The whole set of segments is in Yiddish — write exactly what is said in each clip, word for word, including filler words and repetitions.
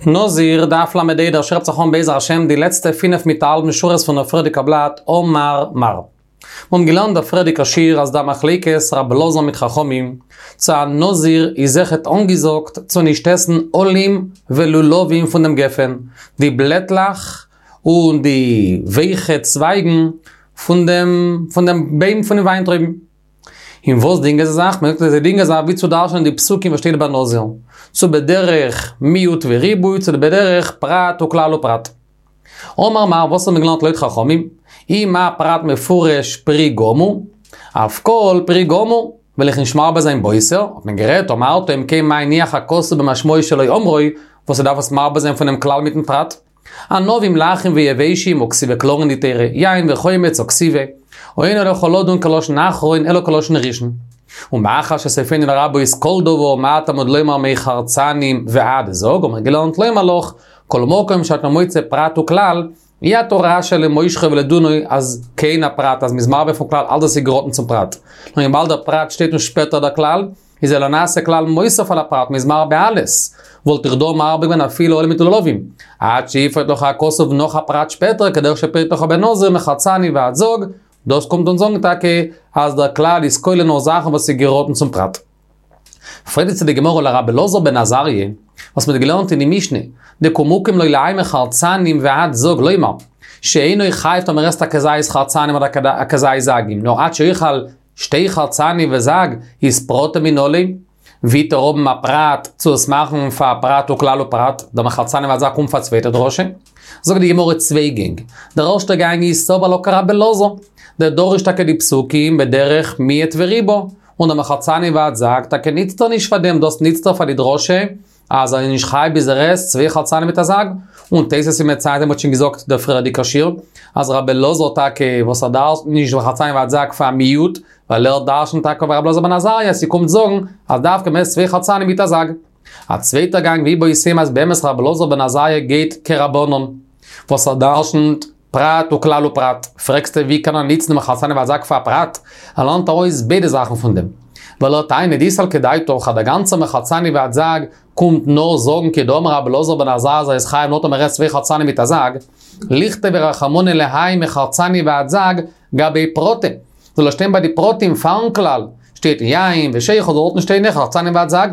נזיר, דף ל"ה, דער שיעור הייבט זיך אן בעזר השם די לעצטע פינף מיט א האלבן שורות פון דער פריערדיגע בלאט, אמר מר. מיר האבן געלערנט דער פריערדיגע שיעור אז דער מחלוקת רבי אלעזר מיט חכמים, צו א נזיר איז אויכעט אנגעזאגט צו נישט עסן עלים ולולבים פון דעם גפן, די בלעטלעך און די ווייכע צווייגן פון דעם פון דעם בוים פון די וויינטרויבן. אין וואס דינגען זיי זיך? מען זאגט אז זיי דינגען זיך ווי צו דרש'נען די פסוקים וואס שטייט ביי נזיר, צו בדרך מיעוט וריבוי צו בדרך פרט וכלל ופרט. אמר מר, וואס האט מען געלערנט לויט חכמים? אי מה פרט מפורש פרי גמור, אף כל פרי גמור, וועל איך נישט מרבה זיין בוסר, האט מען גערעדט, אמרת אם כן מה הניח הכתוב במשמעו שלא אמרו, וואס ער דארף עס מרבה זיין פונעם כלל מיטן פרט? ענבים לחים ויבשים הא כתיבי קלאר אין די תורה, יין וחומץ הא כתיבי, ואין עליך לדון כלשון אחרון אלא כלשון ראשון. ומאחר שסופנו לרבות כל דבר, מה תלמוד לומר מחרצנים ועד זג, האט מען געלערנט לומר לך, כל מקום שאתה מוצא פרט וכלל, אי אתה רשאי למושכו ולדונו אז כעין הפרט, אז מ'איז מרבה פון כלל אלץ וואס איז געראטן צום פרט. נאר וויבאלד דער פרט שטייט און שפעטער דער כלל, איז אלא נעשה כלל מוסף על הפרט, מ'איז מרבה אלעס. וואלט איך דא מרבה געווען אפילו עלים מיט לולבים. עד שיפרט לך הכתוב נאך א פרט שפעטער, כדרך שפירט לך בנזיר מחרצנים ועד זג, דאס קומט אונז זאגן טאקע אז דער כלל איז כולל נאר זאכן וואס איז געראטן צום פרט. פרעגט איצט די גמרא לרבי אלעזר בן עזריה, וואס מ'האט געלערנט אין די משנה, דקא מוקים ליה להאי מחרצנים ועד זג לומר, שאינו חייב טאמער עסט א כזית חרצנים אדער א כזית זגים, נאר עד שיאכל שתי חרצנים וזג איז פרטא מנא ליה, ווי וועט ער האבן א פרט צו עס מאכן פאר פרט וכלל ופרט, דער מחרצנים ועד זג קומט פאר א צווייטע דרשה. זאגט די גמרא צוויי גענג, דער ערשטער גאנג איז סבר לה כרבי אלעזר, דדריש טאקע די פסוקים בדרך מיעט וריבה, און דער מחרצנים ועד זג טאקע ניצט ער נישט פאר דעם, דאס ניצט ער פאר די דרשה אז ער איז נישט חייב ביז ער עסט צוויי חרצנים מיט א זג, און תוס' איז מציין מ'האט שוין געזאגט דער פריערדיגער שיעור אז רבי אלעזר טאקע וואס ער דרש'נט נישט מחרצנים ועד זג פאר מיעוט, ווייל ער דרש'נט טאקע ווי רבי אלעזר בן עזריה אז ס'קומט זאגן אז דווקא מ'עסט צוויי חרצנים מיט א זג. א צווייטער גאנג ואיבעית אימא אז באמת רבי אלעזר בן עזריה גייט כרבנן וואס ער דרש'נט פרט וכלל ופרט, פרעגסטו ווי קען ער ניצן דעם מחרצנים ועד זג פאר א פרט? ער לערנט ארויס ביידע זאכן פון דעם. ווייל ער טענה'ט דאי סלקא דעתך אז דער גאנצער מחרצנים ועד זג קומט נאר זאגן כדאמר רבי אלעזר בן עזריה אז ער איז חייב נאר טאמער ער עסט צוויי חרצנים מיט א זג, ליכתוב רחמנא להאי מחרצנים ועד זג גבי פרטא, זאל ער שטיין ביי די פרטים פארן כלל, שטייט יין ושכר זאל דארטן שטיין מחרצנים ועד זג.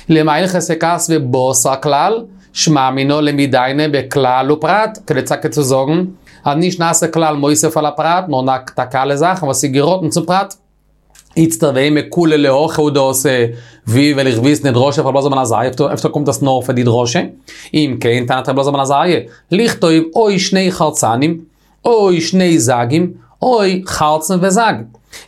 למאי הלכתא כתביה בתר כלל, שמע מינה למידעיניה בכלל ופרט, כדי טאקע צו זאגן אז נישט נעשה כלל מוסיף על הפרט, נאר טאקע אלע זאכן וואס איז געראטן צום פרט. איצטער ואימא כוליה להכי הוא דאתא, ווי וועל איך וויסן די דרשה פון רבי אלעזר בן עזריה, אפשר קומט עס נאר פאר די דרשה? אם כן, טענת רבי אלעזר בן עזריה, לכתוב או שני חרצנים, או שני זגים, או חרצן וזג.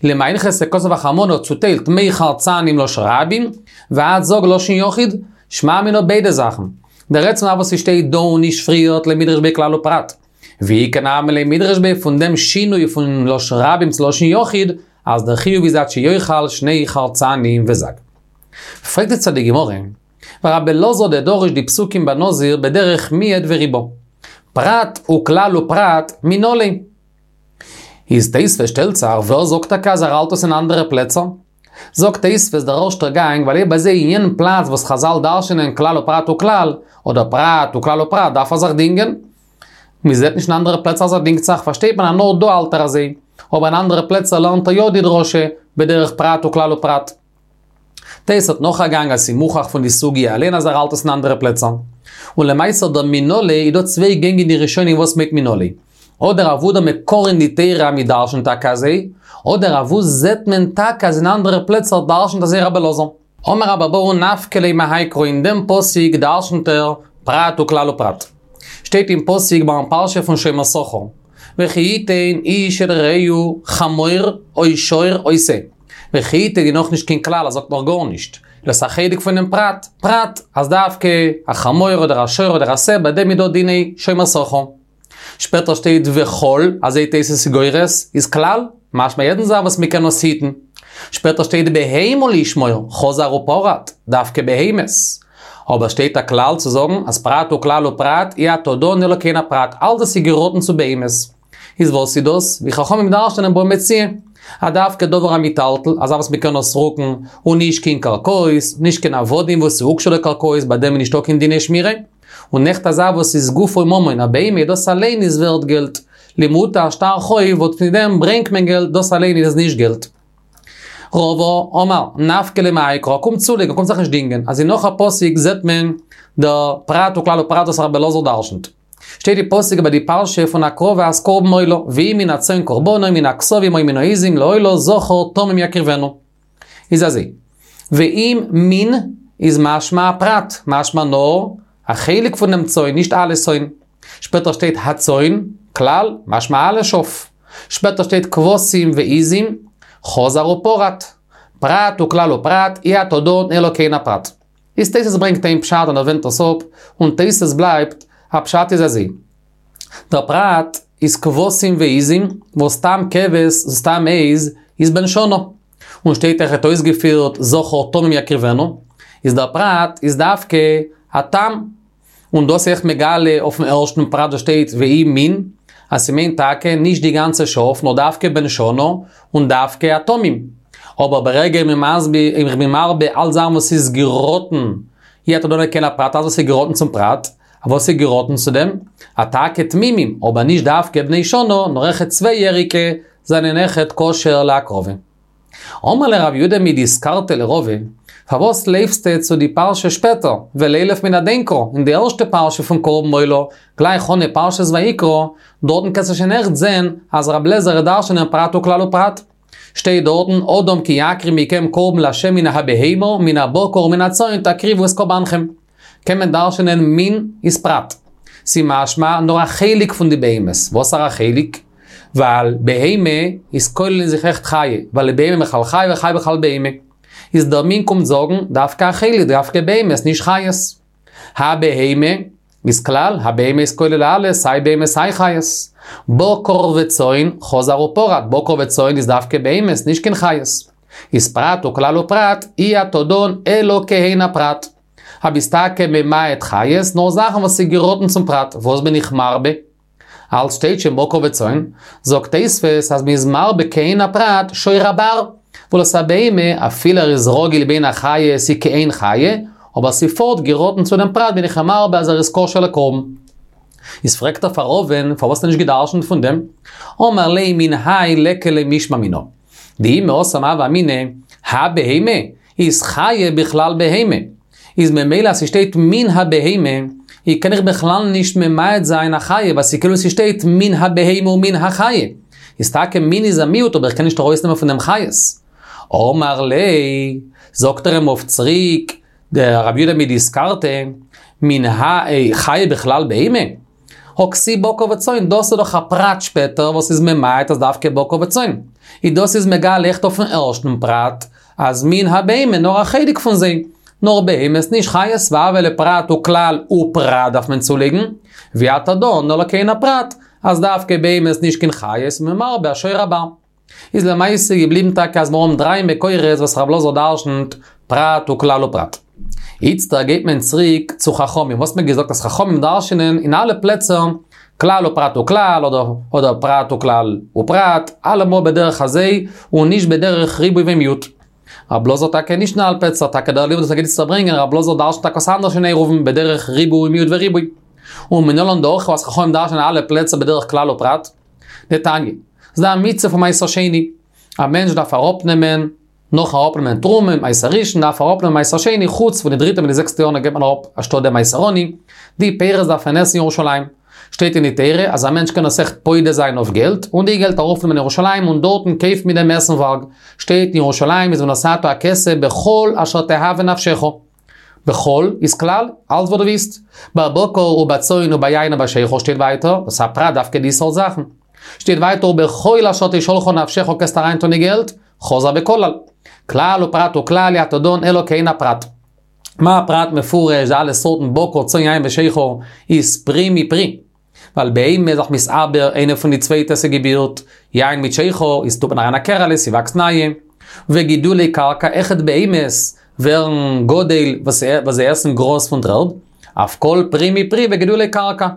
למאי הלכתא כתב רחמנא צוטיילט מחרצנים לשון רבים, ועד זג לשון יחיד, שמע מינה ביידע זאכן. דער עצם וואס ס'שטייט דא און נישט פריערט למידרש ביה כלל ופרט. ואיכא נמי למידרש ביה פון דעם שינוי פון לשון רבים צו לשון יחיד, אז דער חיוב איז עד שיאכל שני חרצנים וזג. פרעגט איצטער די גמרא, ורבי אלעזר דדריש די פסוקים בנזיר בדרך מיעט וריבה. פרט וכלל ופרט מנא ליה. איז תוספות שטעלט זיך, ווער זאגט טאקע אז ער האלט עס אין אנדערע פלעצער? זאגט תוספות דער ערשטער גאנג, ווייל אויב אזוי אין יענעם פלאץ וואס חזל דרש'נען כלל ופרט וכלל, אדער פרט וכלל ופרט דארף ער זיך דינגען. מען זעט נישט אין אנדערע פלעצער אז ער דינגט זיך, פארשטייט מען אז נאר דא האלט ער אזוי, אבער אין אנדערע פלעצער לערנט ער יא די דרשה בדרך פרט וכלל ופרט. תוס' האט נאך א גאנג אז ס'איז מוכח פון די סוגיא אליין אז ער האלט עס אין אנדערע פלעצער. און למעשה דער מנא ליה איז דא צוויי גענג אין די ראשונים וואס מיינט מנא ליה. אדער אוואו דער מקור אין די תורה אז מ'דרשנ'ט טאקע אזוי, אדער אוואו זעט מען טאקע אז אין אנדערע פלעצער דרשנ'ט אזוי רבי אלעזר. אמר רבה בר בר נפקא ליה מהאי קרא אין דעם פסוק דרשנ'ט ער פרט וכלל ופרט. שטייט אין פסוק ביים פרשה פון שומר שכר, וכי יתן איש אל רעהו חמור או שור או שה. וכי יתן איז נאכנישט קיין כלל ער זאגט נאך גארנישט. דאס איז א חלק פונעם פרט, פרט אז דווקא א חמור אדער א שור אדער א שה ביי דעם איז דא דיני שומר שכר. שפעטער שטייט וכל, אזוי תוס' איז גורס, איז כלל, משמע יעדן זאך וואס מ'קען עס היטן. שפעטער שטייט בהמה לשמור, חזר ופרט, דווקא בהמות. אבער שטייט א כלל צו זאגן אז פרט וכלל ופרט אי אתה דן אלא כעין הפרט, אלץ וואס איז געראטן צו בהמות. איז וואס איז דאס? ווי חכמים דרש'נען בבא מציעא. אז דווקא דבר המיטלטל, א זאך וואס מ'קען עס רוקן, און נישט קיין קרקעות, נישט קיין עבדים וואס איז הוקשו לקרקעות, ביי דעם איז נישטא קיין דיני שמירה. און אויכעט אזא וואס איז גופו ממון, א בהמה, דאס אליין איז ווערט געלט. למעוטי א שטר חוב, וואס פון דעם ברענגט מען געלט, דאס אליין איז נישט געלט. רבא אמר, נפקא ליה מהאי קרא, קומט צולייגן, קומט זיך נישט דינגען. אז אין נאך א פסוק זעט מען דער פרט וכלל ופרט וואס רבי אלעזר דרשנ'ט. שטייט די פסוק איבער די פרשה פון הקרבת קרבן עולה, ואם מן הצאן קרבנו, מן הכשבים או מן העזים לעולה זכר תמים יקריבנו. איז אזוי, ואם מן איז משמע פרט, משמע נאר א חלק פון דעם צאן, נישט אלע צאן. שפעטער שטייט הצאן, כלל, משמע אלע שאף. שפעטער שטייט כבשים ועזים, חזר ופרט. פרט וכלל ופרט, אי אתה דן אלא כעין הפרט. איז תוס' ברענגט איין פשט און ער ווענדט עס אפ, און תוס' בלייבט, א פשט איז אזוי. דער פרט איז כבשים ועזים, וואס סתם כבש, סתם עז, איז בן שנה. און שטייט אויכעט אויסגעפירט זכר תמים יקריבנו, איז דער פרט איז דווקא א תם. און דאס איז אויך מגלה אויפן ערשטן פרט וואס שטייט ואם מן, אז ס'מיינט טאקע נישט די גאנצע שאף, נאר דווקא בן שנה און דווקא א תמים. אבער ברגע איך בין מרבה אלץ זאכן וואס איז געראטן, אי אתה דן אלא כעין הפרט, אלץ וואס איז געראטן צום פרט, וואס איז געראטן צו דעם? אז טאקע תמימים, אבער נישט דווקא בני שנה, נאר אויכעט צוויי יעריגע זענען אויכעט כשר להקרבה. אמר ליה רב יהודה מדיסקרתא לרבא, פארוואס לויפסטו צו די פרשה שפעטער, ולילף מן הדין קרא, אין די ערשטע פרשה פון קרבן עולה, גלייך אנהייב פרשת ויקרא, דארטן קענסטו שוין אויכעט זען אז רב לעזער וועט דרש'נען פרט וכלל ופרט. שטייט דארטן, אדם כי יקריב מכם קרבן לה' מן הבהמה, מן הבקר ומן הצאן תקריבו את קרבנכם. קען מען דרש'נען מן איז פרט. ס'משמע נאר א חלק פון די בהמות. וואסערע חלק? ווייל בהמה איז כולל אין זיך אויכעט חיה, ווייל בהמה בכלל חיה וחיה בכלל בהמה. איז דער מין קומט זאגן דווקא א חלק, דווקא בהמות, נישט חיות. הבהמה איז כלל, הבהמה איז כולל אלעס, סיי בהמות סיי חיות. בקר וצאן, חזר ופרט, בקר וצאן איז דווקא בהמות, נישט קיין חיות. איז פרט וכלל ופרט, אי אתה דן אלא כעין הפרט. אז ביסט טאקע ממעט חיות, נאר זאכן וואס איז געראטן צום פרט, וואס בין איך מרבה? אלץ שטייט שוין בקר וצאן, זאגט תוספות אז מ'איז מרבה כעין הפרט שור הבר, ווייל עס א בהמה, אפילו ער איז רגיל בין החיות איז כעין חיה, אבער ס'פארט געראטן צו דעם פרט בין איך מרבה אז ער איז כשר לקרבן. איז פרעגט ער פאר רבא'ן, פארוואס האסטו נישט געדרשנט פון דעם? אמר ליה מן האי ליכא למשמע מינה. דאי מהתם הוה אמינא, הבהמה איז חיה בכלל בהמה. איז ממילא אז ס'שטייט מן הבהמה, איז קען איך בכלל נישט ממעט זיין א חיה, ווייל ס'כאילו ס'שטייט מן הבהמה ומן החיה. איז טאקע מין איז א מיעוט, אבער איך קען נישט ארויסנעמען פון דעם חיות. אמר ליה, זאגט ער אים אויף צוריק, דער רב יהודה מדיסקרתא, מן האי חיה בכלל בהמה? הא כתיב בקר וצאן, דאס איז דאך א פרט שפעטער וואס איז ממעט אז דווקא בקר וצאן. איז דאס איז מגלה אויכעט אויפן ערשטן פרט, אז מן הבהמה נאר א חלק פון זיי, נאר בהמות נישט חיות, והוה ליה פרט וכלל ופרט דארף מען צולייגן, ואי אתה דן אלא כעין הפרט, אז דווקא בהמות נישט קיין חיות, מ'מרבה א שור הבר. איז למעשה געבליבן טאקע אז מיר האבן דריי מקורות וואס רב אלעזר דרשנ'ט פרט וכלל ופרט. איצטער גייט מען צוריק צו חכמים, וואס מ'האט געזאגט אז חכמים דרשנ'ען אין אלע פלעצער כלל ופרט וכלל אדער אדער פרט וכלל ופרט, אלעמאל בדרך הזה און נישט בדרך ריבוי ומיעוט. רב אלעזר טאקע נישט אין אלע פלעצער, טאקע דער לימוד וואס מ'גייט איצטער ברענגען, רב אלעזר דרשנ'ט טאקע עס אנדערש אין עירובין בדרך ריבוי ומיעוט וריבוי. ומנלן דהכא אז חכמים דרשנ'ען אלע פלעצער בדרך כלל ופרט. דתניא, ס'דא א מצוה פון מעשר שני, א מענטש דארף אראפנעמען, נאכן אראפנעמען תרומה, מעשר ראשון, דארף ער אראפנעמען מעשר שני, חוץ פון די דריטע מיט די זעקסטע יאר געבט מען אראפ אנשטאט דעם מעשר עני, די פירות דארף מען עסן אין ירושלים. שטייט אין די תורה אז א מענטש קען עס אויכעט פודה זיין אויף געלט, און די געלט ארויפנעמען אין ירושלים און דארטן קויפן מיט דעם עסנווארג. שטייט אין ירושלים איז ונתתה הכסף בכל אשר תאווה נפשך. בכל איז כלל, אלץ וואס דו ווילסט. בבקר ובצאן וביין ובשכר שטייט ווייטער, דאס איז א פרט דווקא די סארט זאכן. שטייט ווייטער ובכל אשר תשאלך נפשך קענסט אריינטון די געלט, חזר וכלל. כלל ופרט וכלל אי אתה דן אלא כעין הפרט. מה הפרט מפורש די אלע סארטן בקר צאן יין ושכר איז פרי מפרי. ווייל בהמה איז דאך מתעבר איינע פון די צווייטע ס'געבירט, יין מיט שכר איז טוט מען אריין א קערעלע ס'וואקסט נייע. וגידולי קרקע אויכעט בהמות ווערן גדל וואס זיי עסן גראז פון דר'ערד, אף כל פרי מפרי וגידולי קרקע.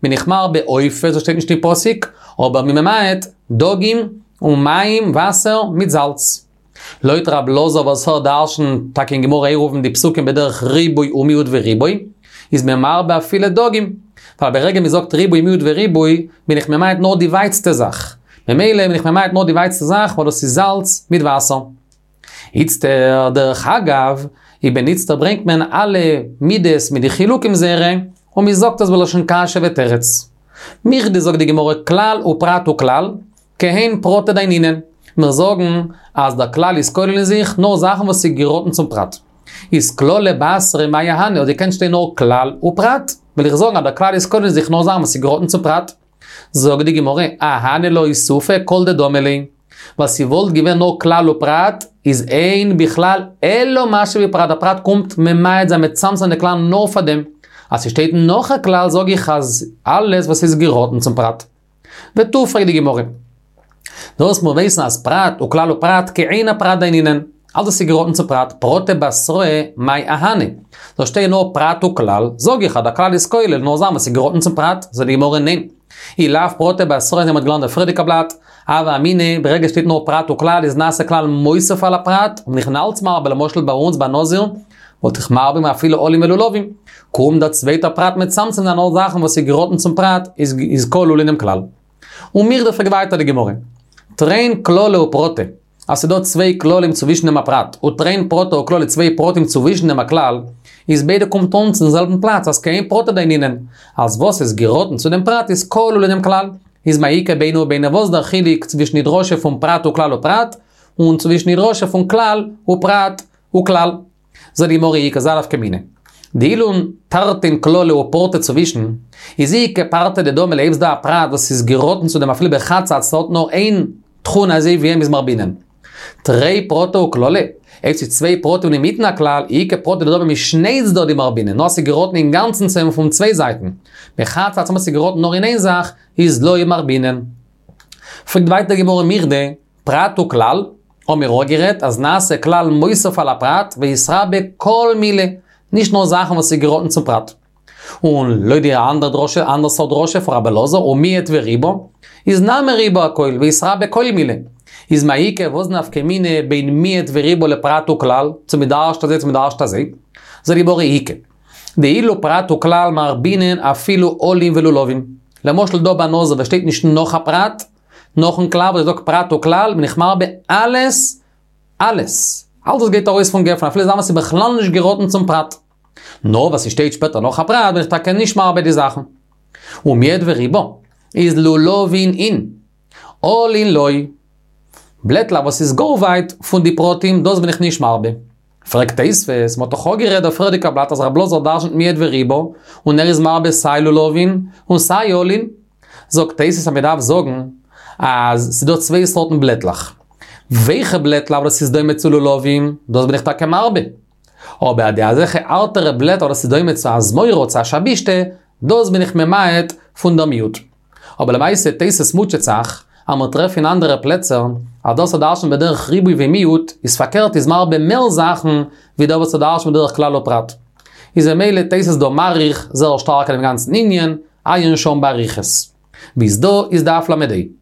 בין איך מרבה עופות וואס שטייט נישט אין פסוק, אבער מ'ממעט דגים און מים, וואסער, מיט זאלץ. לויט רב אלעזר וואס ער דרשנ'ט טאקע אין גמרא עירובין די פסוקים בדרך ריבוי ומיעוט וריבוי, איז מען מרבה אפילו דגים. ווייל ברגע מ'זאגט ריבוי מיעוט וריבוי, בין איך ממעט נאר די ווייטסטע זאך. ממילא בין איך ממעט נאר די ווייטסטע זאך, ווייל דאס איז זאלץ מיט וואסער. איצטער, דרך אגב, איבער איצטער ברענגט מען אלע מידות מיט די חילוקים זייערע, און מ'זאגט עס בלשון קשיא ותירוץ. מכדי זאגט די גמרא כלל ופרט וכלל, כהן פרטא דיינינן. מיר זאגן אז דער כלל איז כולל אין זיך נאר זאכן וואס איז געראטן צום פרט. איז כללא בתריה מאי אהני, האט געקענט שטיין נאר כלל ופרט, וויל איך זאגן אז דער כלל איז כולל אין זיך נאר זאכן וואס איז געראטן צום פרט. זאגט די גמרא, אהני לאוסופי כל דדמי ליה. ווייל ס'וואלט געווען נאר כלל ופרט, איז אין בכלל אלא מה שבפרט, דער פרט קומט ממעט זיין מצמצם זיין די כלל נאר פאר דעם. אז ס'שטייט נאך א כלל זאג איך אז אלעס וואס איז געראטן צום פרט. ותו פרעגט די גמרא. דאס מיר ווייסן אז פרט וכלל ופרט כעין הפרט דיינינן. אלעס איז געראטן צום פרט, פרטא בתראה מאי אהני. דא שטייט נאר פרט וכלל, זאג איך אז דער כלל איז כולל נאר זאכן וואס איז געראטן צום פרט, זאגט די גמרא ניין. אי לאו פרטא בתראה אזוי מ'האט געלערנט די פריערדיגע בלאט, הוה אמינא, ברגע שטייט נאר פרט וכלל איז נעשה כלל מוסיף על הפרט, און איך בין אלץ מרבה למשל ביי אונז ביי נזיר, וואלט איך מרבה אפילו עלים ולולבים. קומט דער צווייטער פרט מצמצם זיין נאר זאכן וואס איז געראטן צום פרט, איז איז כלול אינעם כלל. ומכדי פרעגט ווייטער די גמרא. תרין כללי ופרטא, אז ס'דא צוויי כללים צווישן דעם א פרט, ותרין פרטי וכללא צוויי פרטים צווישן דעם א כלל, איז ביידע קומט אן צום זעלבן פלאץ, אז כעין פרטא דיינינן. אז וואס איז געראטן צו דעם פרט איז כלול אינעם כלל. איז מאי איכא בינו ובינו וואס דער חילוק צווישן די דרשה פון פרט וכלל ופרט, און צווישן די דרשה פון כלל ופרט וכלל. זאגט די גמרא איכא אזא נפקא מינה. דאילון תרתין כללי ופרטא צווישן, איז איכא פרטא דדמי ליה אויב ס'דא א פרט וואס איז געראטן צו דעם אפילו בחד צד ס'האט נאר איין תכונה אזוי ווי אים איז מרבינן. תרי פרטי וכללא, אויב ס'איז צוויי פרטים אינמיטן א כלל, איכא פרטא דדמי משני צדדים מרבינן, נאר ס'איז געראטן אינגאנצן צו אים פון צוויי זייטן. בחד צד ס'איז געראטן נאר אין איין זאך, איז לא מרבינן. פרעגט ווייטער די גמרא מכדי, פרט וכלל, האמיר אויך גערעדט אז נעשה כלל מוסיף על הפרט ויתרבה כל מילי, נישט נאר זאכן וואס איז געראטן צום פרט. און לויט די אנדערע דרשה, אנדערע סארט דרשה פון רבי אלעזר, ומיעט וריבה, איז נמי ריבה הכל ויתרבה כל מילי. איז מאי איכא וואס נפקא מינה בין מיעט וריבה לפרט וכלל, צו מ'דרש'ט אזוי צו מ'דרש'ט אזוי? זאגט די גמרא איכא. דאילו פרט וכלל מרבינן אפילו עלים ולולבים. למשל דא ביי נזיר וואס שטייט נישט נאך א פרט, נאכן כלל וואס זאגט פרט וכלל בין איך מרבה אלעס, אלעס. אלעס וואס גייט ארויס פון גפן אפילו זאכן וואס איז בכלל נישט געראטן צום פרט. נאר וואס ס'שטייט שפעטער נאך א פרט בין איך טאקע נישט מרבה די זאכן. ומיעט וריבה איז לולבין אין. עלין לא. בלעטלעך וואס איז גאר ווייט פון די פרטים דאס בין איך נישט מרבה. פרעגט תוספות, מ'האט דאך אפגערעדט דער פריערדיגע בלאט אז רב אלעזר דרשנ'ט מיעט וריבה, און ער איז מרבה סיי לולבין און סיי עלין. זאגט תוספות אז מ'דארף זאגן אז ס'דא צוויי סארטן בלעטלעך. ווייכע בלעטלעך וואס איז דומה צו לולבים, דאס בין איך טאקע מרבה. אבער די אזעלכע הארטערע בלעטער וואס איז דומה צו א זמורה צו א שבישתא, דאס בין איך ממעט פון דער מיעוט. אבער למעשה תוס' מוטשעט זיך, אז מיר טרעפן אין אנדערע פלעצער, אז דאס וואס דרש'נט בדרך ריבוי ומיעוט, איז פארקערט איז מרבה מער זאכן, ווי דער וואס דרש'נט בדרך כלל ופרט. איז ממילא תוס' דא מאריך זייער שטארק אין דעם גאנצן ענין, עיין שם באריכות. ביז דא איז דף ל"ה.